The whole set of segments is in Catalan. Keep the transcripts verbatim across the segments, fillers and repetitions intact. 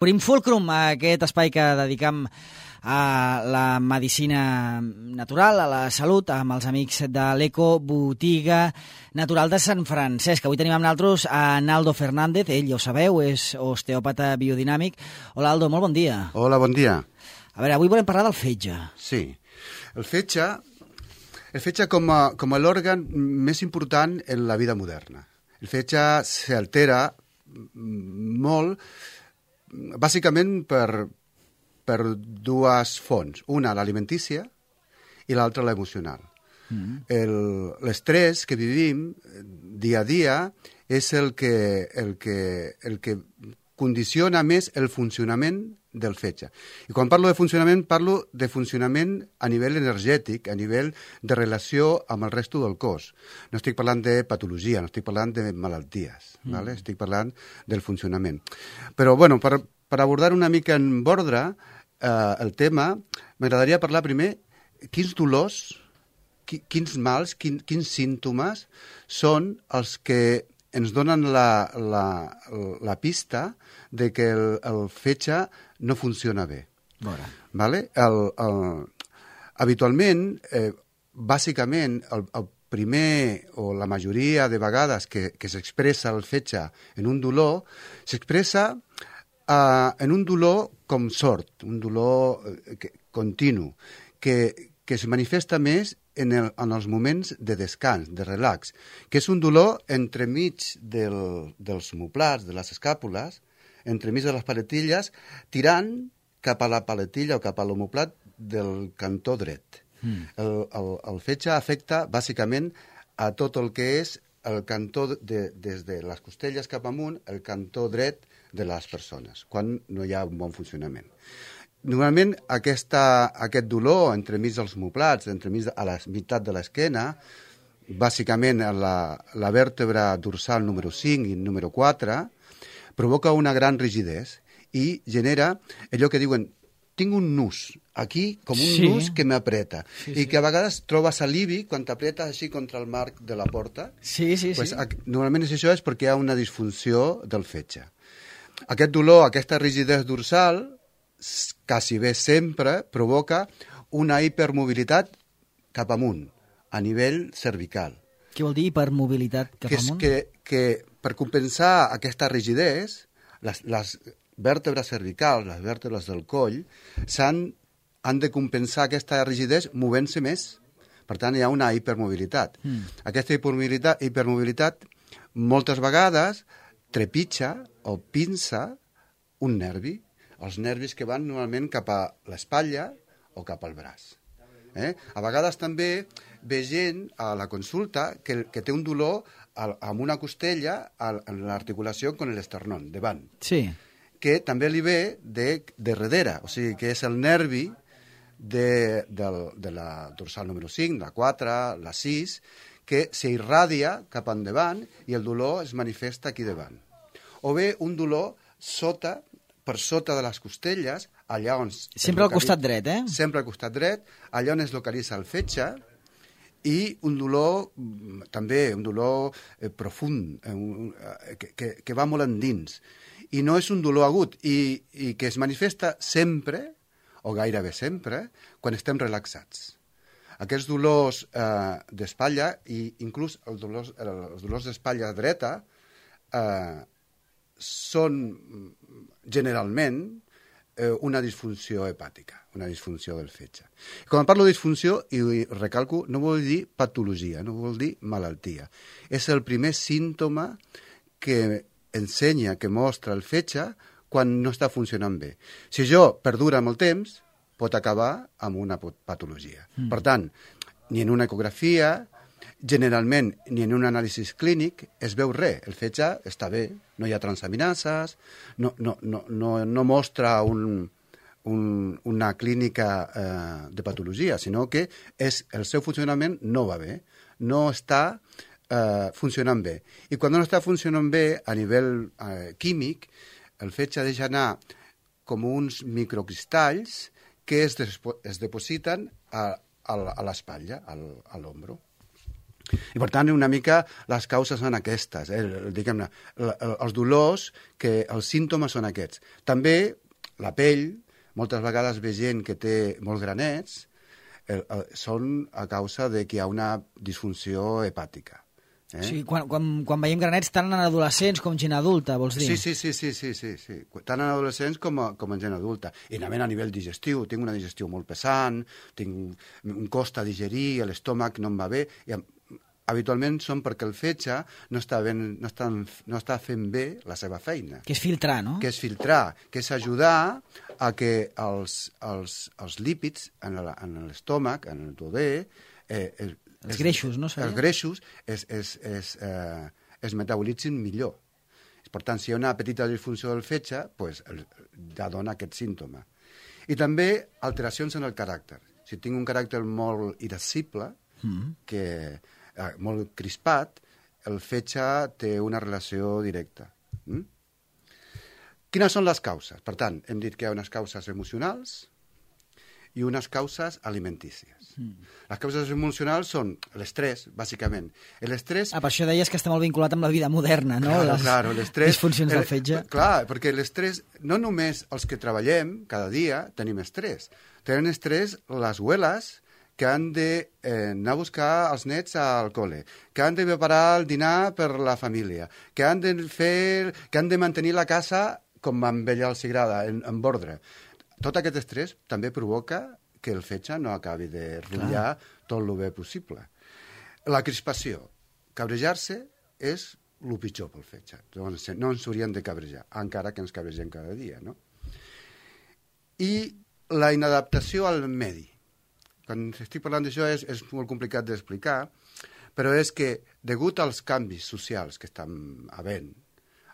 Obrim Fulcrum, aquest espai que dedicam a la medicina natural, a la salut, amb els amics de l'Eco Botiga Natural de Sant Francesc. Avui tenim amb nosaltres a Naldo Fernández, ell ja ho sabeu, és osteòpata biodinàmic. Hola, Aldo, molt bon dia. Hola, bon dia. A veure, avui volem parlar del fetge. Sí, el fetge, el fetge com a, com a l'òrgan més important en la vida moderna. El fetge s'altera molt, bàsicament per, per dues fonts. Una, l'alimentícia, i l'altra, l'emocional. Mm. L'estrès que vivim dia a dia és el que, el que, el que condiciona més el funcionament del fetge. I quan parlo de funcionament, parlo de funcionament a nivell energètic, a nivell de relació amb el resto del cos. No estic parlant de patologia, no estic parlant de malalties, mm. ¿vale? Estic parlant del funcionament. Però, bueno, per, per abordar una mica en ordre eh, el tema, m'agradaria parlar primer quins dolors, qui, quins mals, quin, quins símptomes són els que ens donen la, la, la pista de que el, el fetge no funciona bé. Bona. Vale? El, el, habitualment, eh, bàsicament, el, el primer o la majoria de vegades que, que s'expressa el fetge en un dolor, s'expressa eh, en un dolor com sord, un dolor eh, que, continu, que, que es manifesta més en, el, en els moments de descans, de relax, que és un dolor entremig del, dels omoplats, de les escàpules, entremig de les paletilles, tirant cap a la paletilla o cap a l'omoplat del cantó dret. Mm. El, el, el fetge afecta bàsicament a tot el que és el cantó de, des de les costelles cap amunt, el cantó dret de les persones, quan no hi ha un bon funcionament. Normalment aquesta, aquest dolor entremig dels omoplats, entremig a la meitat de l'esquena, bàsicament a la, la vèrtebra dorsal número cinc i número quatre, provoca una gran rigidesa i genera allò que diuen tinc un nus aquí, com un sí. nus que m'apreta, sí, i sí. que a vegades trobes alivi quan t'apreta així contra el marc de la porta. Sí, sí, pues, sí. Normalment és això és perquè hi ha una disfunció del fetge. Aquest dolor, aquesta rigidesa dorsal, quasi bé sempre provoca una hipermobilitat cap amunt, a nivell cervical. Què vol dir hipermobilitat cap que amunt? Que, que per compensar aquesta rigidesa, les, les vèrtebres cervicals, les vèrtebres del coll, s'han han de compensar aquesta rigidesa movent-se més. Per tant, hi ha una hipermobilitat. Mm. Aquesta hipermobilitat, hipermobilitat moltes vegades trepitja o pinça un nervi, els nervis que van normalment cap a l'espatlla o cap al braç. Eh? A vegades també ve gent a la consulta que, que té un dolor al, amb una costella en l'articulació amb l'esternón, davant. Sí. Que també li ve de, de darrere, o sigui que és el nervi de, de, de la dorsal número cinc, la quatre, la sis, que s'irradia cap endavant i el dolor es manifesta aquí davant. O bé un dolor sota, per sota de les costelles, allà on... Sempre al costat dret, eh? Sempre al costat dret, allà on es localitza el fetge, i un dolor, també, un dolor eh, profund, eh, un, eh, que, que, que va molt endins. I no és un dolor agut, i, i que es manifesta sempre, o gairebé sempre, quan estem relaxats. Aquests dolors eh, d'espatlla, i inclús els dolors, els dolors d'espatlla dreta, eh, són generalment eh, una disfunció hepàtica, una disfunció del fetge. Quan parlo de disfunció, i recalco, no vol dir patologia, no vol dir malaltia. És el primer símptoma que ensenya, que mostra el fetge quan no està funcionant bé. Si això perdura molt temps, pot acabar amb una patologia. Mm. Per tant, ni en una ecografia, generalment, ni en un anàlisi clínic, es veu res. El fetge està bé, no hi ha transaminases, no, no, no, no, no mostra un, un, una clínica eh, de patologia, sinó que és, el seu funcionament no va bé, no està eh, funcionant bé. I quan no està funcionant bé a nivell eh, químic, el fetge deixa anar com uns microcristalls que es, es depositen a, a, a l'espatlla, a l'ombro. I, per tant, una mica les causes són aquestes, eh? Diguem-ne, els dolors, que els símptomes són aquests. També la pell, moltes vegades ve gent que té molts granets, eh, eh, són a causa de que hi ha una disfunció hepàtica. Eh? Sí, quan, quan, quan veiem granets tant en adolescents com gent adulta, vols dir? Sí, sí, sí, sí, sí, sí, sí. Tant en adolescents com, a, com en gent adulta. I també a nivell digestiu, tinc una digestió molt pesant, tinc un cost a digerir, l'estómac no em va bé, i habitualment són perquè el fetge no està, ben, no, està, no està fent bé la seva feina. Que és filtrar, no? Que és filtrar, que és ajudar a que els, els, els lípids en l'estómac, en el duodè, eh, el, els es, greixos, no? Seria? Els greixos es, es, es, eh, es metabolitzin millor. Per tant, si hi ha una petita disfunció del fetge, pues, ja dona aquest símptoma. I també alteracions en el caràcter. Si tinc un caràcter molt irascible, mm. que eh, molt crispat, el fetge té una relació directa. Mm? Quines són les causes? Per tant, hem dit que hi ha unes causes emocionals i unes causes alimentícies. Mm. Les causes emocionals són l'estrès, bàsicament. L'estrès... Ah, per això deies que està molt vinculat amb la vida moderna, no? Claro, les claro, l'estrès... disfuncions del fetge. Clar, perquè l'estrès, no només els que treballem cada dia tenim estrès. Tenen estrès les abueles que han de eh, anar a buscar els nets al col·le, que han de preparar el dinar per la família, que han de fer, que han de mantenir la casa com a ella els agrada, en, en ordre. Tot aquest estrès també provoca que el fetge no acabi de rotllar tot el bé possible. La crispació. Cabrejar-se és el pitjor pel fetge. Doncs no ens hauríem de cabrejar, encara que ens cabregem cada dia, no? I la inadaptació al medi. Quan estic parlant d'això és, és molt complicat d'explicar, però és que, degut als canvis socials que estan havent,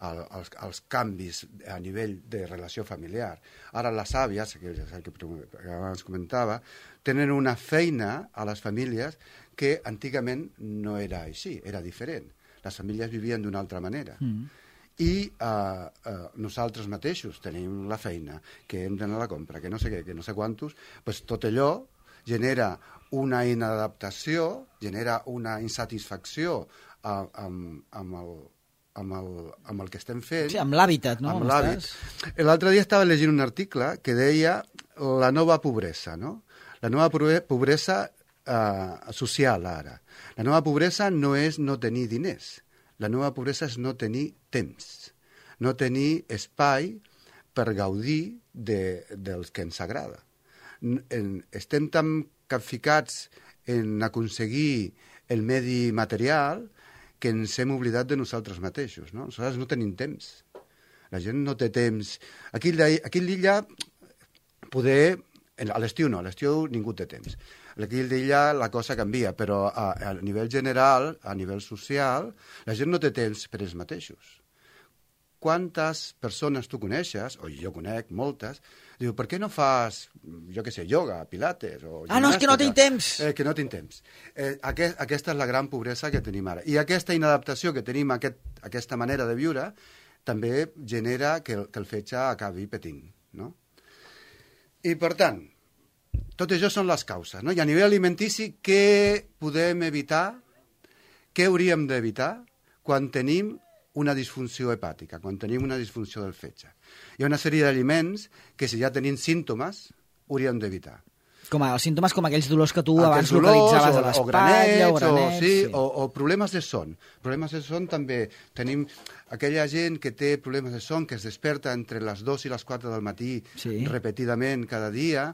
al, als, als canvis a nivell de relació familiar, ara les àvies, que, que abans comentava, tenen una feina a les famílies que antigament no era així, era diferent. Les famílies vivien d'una altra manera. Mm. I uh, uh, nosaltres mateixos tenim la feina, que hem d'anar a la compra, que no sé què, que no sé quantos, pues tot allò genera una inadaptació, genera una insatisfacció uh, amb, amb, el, amb, el, amb el que estem fent. Sí, amb l'hàbitat, no? Amb l'hàbit. L'altre dia estava llegint un article que deia la nova pobresa, no? La nova pobresa uh, social, ara. La nova pobresa no és no tenir diners. La nova pobresa és no tenir temps, no tenir espai per gaudir de, dels que ens agrada. En, estem tan capficats en aconseguir el medi material que ens hem oblidat de nosaltres mateixos, no? Nosaltres no tenim temps. La gent no té temps. Aquí, aquí a l'illa, poder... A l'estiu no, a l'estiu ningú té temps. Aquí a l'illa la cosa canvia, però a, a nivell general, a nivell social, la gent no té temps per ells mateixos. Quantes persones tu coneixes, o jo conec moltes, diu, per què no fas, jo què sé, ioga, pilates o gimnàstica? Ah, no, és que no tinc temps. Eh, que no tinc temps. Eh, aquest, aquesta és la gran pobresa que tenim ara. I aquesta inadaptació que tenim, aquest, aquesta manera de viure, també genera que el, que el fetge acabi patint, no? I, per tant, tot això són les causes, no? I a nivell alimentici, què podem evitar, què hauríem d'evitar quan tenim una disfunció hepàtica, quan tenim una disfunció del fetge? Hi ha una sèrie d'aliments que, si ja tenim símptomes, hauríem d'evitar. Com a, els símptomes com aquells dolors que tu aquells abans dolors, localitzaves o, a l'espatlla, o granets... O, sí, sí. o, o problemes de son. Problemes de son també. Tenim aquella gent que té problemes de son, que es desperta entre les dues i les quatre del matí, sí, repetidament cada dia,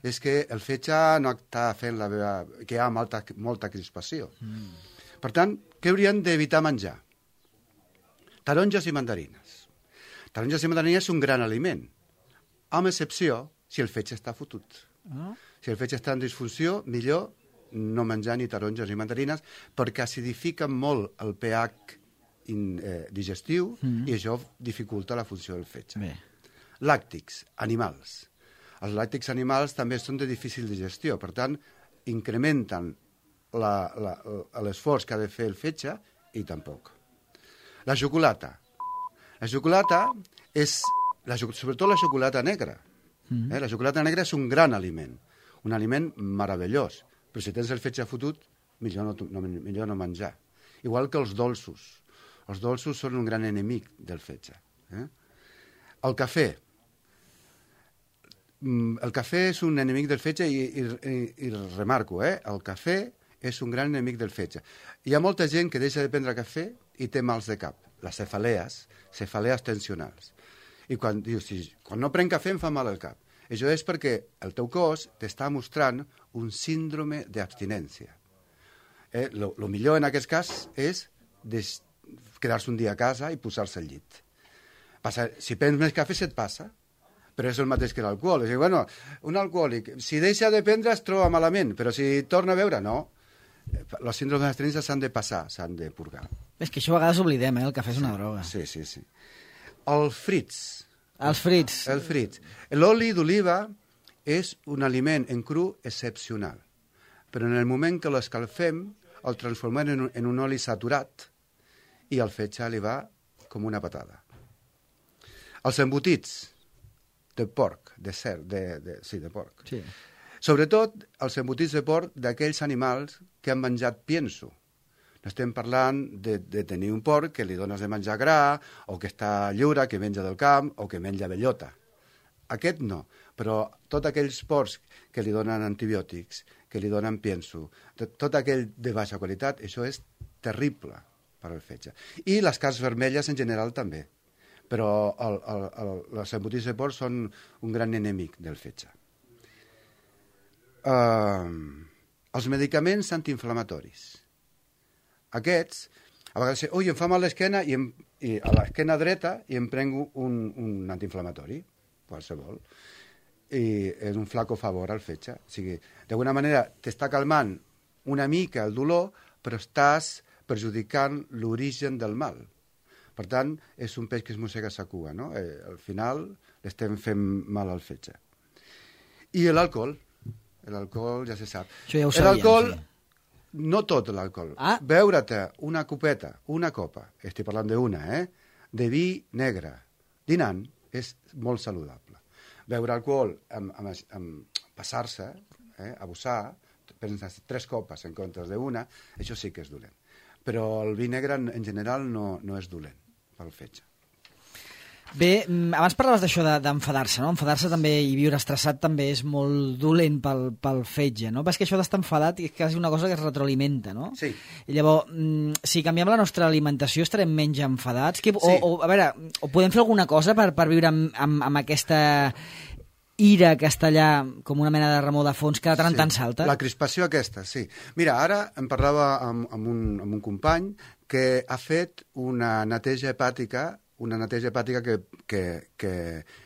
és que el fetge no està fent la veva... que hi ha molta, molta crispació. Mm. Per tant, què hauríem d'evitar menjar? Taronges i mandarines. Taronges i mandarines és un gran aliment, amb excepció si el fetge està fotut. Oh. Si el fetge està en disfunció, millor no menjar ni taronges ni mandarines, perquè acidifiquen molt el pH in, eh, digestiu, mm. i això dificulta la funció del fetge. Bé. Làctics, animals. Els làctics animals també són de difícil digestió, per tant, incrementen l'esforç que ha de fer el fetge i tampoc. La xocolata. La xocolata és, la, sobretot la xocolata negra. Mm. Eh? La xocolata negra és un gran aliment, un aliment meravellós, però si tens el fetge fotut millor no, no, millor no menjar. Igual que els dolços. Els dolços són un gran enemic del fetge. Eh? El cafè. El cafè és un enemic del fetge i, i, i, i remarco, eh? El cafè és un gran enemic del fetge. Hi ha molta gent que deixa de prendre cafè i té mals de cap, les cefalees, cefalees tensionals. I quan dius, si, quan no prenc cafè em fa mal el cap. Això és perquè el teu cos t'està mostrant un síndrome d'abstinència. Eh, lo, lo millor en aquest cas és des, quedar-se un dia a casa i posar-se al llit. Passa, si prens més cafè se't passa, però és el mateix que l'alcohol. És dir, bueno, un alcohòlic, si deixa de prendre es troba malament, però si torna a beure, no. Els síndromes d'abstinència s'han de passar, s'han de purgar. És que això a vegades oblidem, eh? El cafè és una droga. Sí, sí, sí. Els frits. Els frits. El frits. L'oli d'oliva és un aliment en cru excepcional, però en el moment que l'escalfem el transformem en un, en un oli saturat i al fetge li va com una patada. Els embotits de porc, de cert, de, de, sí, de porc. Sí. Sobretot els embotits de porc d'aquells animals que han menjat pienso. No estem parlant de, de tenir un porc que li dones de menjar gra, o que està lliure, que menja del camp, o que menja bellota. Aquest no, però tots aquells porcs que li donen antibiòtics, que li donen pienso, tot aquell de baixa qualitat, això és terrible per al fetge. I les carns vermelles en general també, però el, el, el, els embotits de porc són un gran enemic del fetge. Uh, els medicaments antiinflamatoris. Aquests, a vegades, ui, em fa mal l'esquena i, em, i a l'esquena dreta i em prenc un, un antiinflamatori, qualsevol, i és un flaco favor al fetge. O sigui, d'alguna manera t'està calmant una mica el dolor, però estàs perjudicant l'origen del mal. Per tant, és un peix que es mossega sa cua, no? Eh, al final l'estem fent mal al fetge. I l'alcohol. L'alcohol ja se sap. Això ja ho sabíem, l'alcohol, sí. No tot l'alcohol. Ah. Beure-te una copeta, una copa, estic parlant d'una, eh? de vi negre, dinant, és molt saludable. Beure alcohol amb, amb, amb passar-se, eh? abusar, prendre tres copes en comptes d'una, això sí que és dolent. Però el vi negre en general no, no és dolent pel fetge. Bé, abans parlaves d'això d'enfadar-se, no? Enfadar-se també i viure estressat també és molt dolent pel, pel fetge, no? Però és que això d'estar enfadat és quasi una cosa que es retroalimenta, no? Sí. I llavors, si canviem la nostra alimentació estarem menys enfadats? Que, o, sí. o, a veure, o podem fer alguna cosa per, per viure amb, amb, amb aquesta ira que està allà com una mena de remor de fons que de tant en sí. tant salta? La crispació aquesta, sí. Mira, ara em parlava amb, amb, un, amb un company que ha fet una neteja hepàtica una neteja hepàtica que, que, que,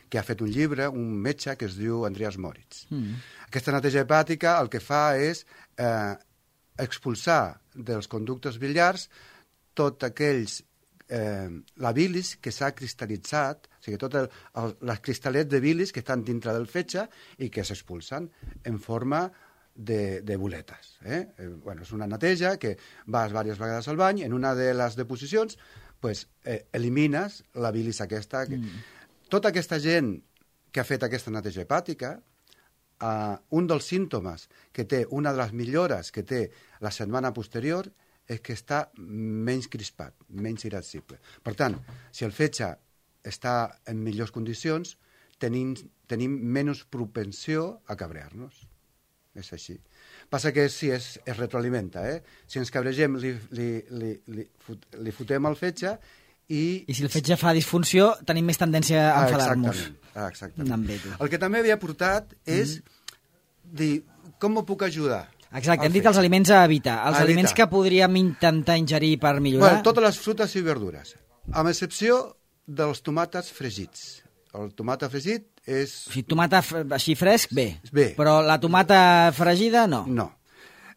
que ha fet un llibre, un metge que es diu Andreas Moritz. Mm. Aquesta neteja hepàtica el que fa és eh, expulsar dels conductes biliars tot aquells, eh, la bilis que s'ha cristal·litzat, o sigui, tots els cristal·lets de bilis que estan dintre del fetge i que s'expulsen en forma de, de boletes. Eh? Eh, bueno, és una neteja que vas diverses vegades al bany, en una de les deposicions pues, eh, elimines la bilis aquesta. Que... Mm. Tota aquesta gent que ha fet aquesta neteja hepàtica, eh, un dels símptomes que té, una de les millores que té la setmana posterior, és que està menys crispat, menys irascible. Per tant, si el fetge està en millors condicions, tenim, tenim menys propensió a cabrear-nos. És així. Passa que sí, es, es retroalimenta, eh? Si ens cabregem, li, li, li, li, fot, li fotem el fetge i... I si el fetge fa disfunció, tenim més tendència a enfadar-nos. Ah, exactament. exactament. El que també havia portat és mm. dir, com m'ho puc ajudar? Exacte, hem dit els aliments a evitar. Els a aliments evitar. Que podríem intentar ingerir per millorar... Bueno, totes les fruites i verdures, amb excepció dels tomàters fregits. El tomata fregit és... O sigui, tomata així fresc, bé. Bé. Però la tomata fregida, no. No.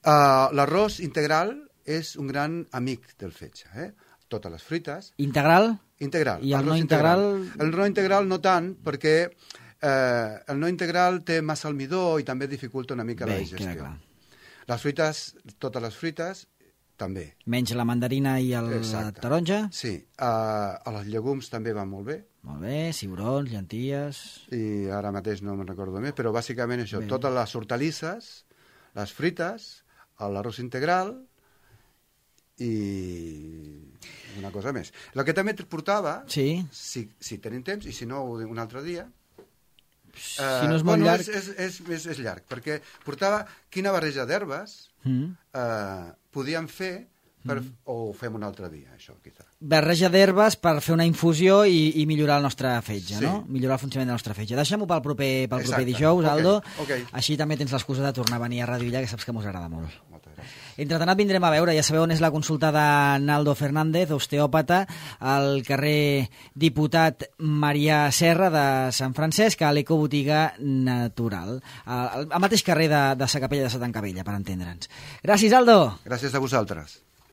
Uh, l'arròs integral és un gran amic del fetge. Eh? Totes les fruites... Integral? Integral. I el no integral... integral? El no integral no tant, perquè eh, el no integral té massa almidó i també dificulta una mica bé, la digestió. Queda clar. Les fruites, totes les fruites, també. Menys la mandarina i el Exacte. Taronja? Sí. Uh, els llegums també van molt bé. Molt bé, cigrons, llenties... I ara mateix no me'n recordo més, però bàsicament això, bé. Totes les hortalisses, les fruites, l'arròs integral i una cosa més. El que també et portava, sí. si, si tenim temps, i si no, un altre dia... Si uh, no és molt bueno, llarg... És, és, és, és llarg, perquè portava quina barreja d'herbes mm. uh, podíem fer per, mm. o ho fem un altre dia, això, quizà. Barreja d'herbes per fer una infusió i, i millorar el nostre fetge, sí. no? Millorar el funcionament del nostre fetge. Deixem-ho pel proper, pel proper dijous, Aldo. Okay, okay. Així també tens l'excusa de tornar a venir a Radio Illa, que saps que mos agrada molt. Moltes gràcies. Entretanat vindrem a veure, ja sabeu on és la consulta de Naldo Fernández, osteòpata, al carrer Diputat Marià Serra de Sant Francesc, a l'Ecobotiga Natural. Al, al mateix carrer de, de Sa Capella de Santa Encabella, per entendre'ns. Gràcies, Aldo! Gràcies a vosaltres.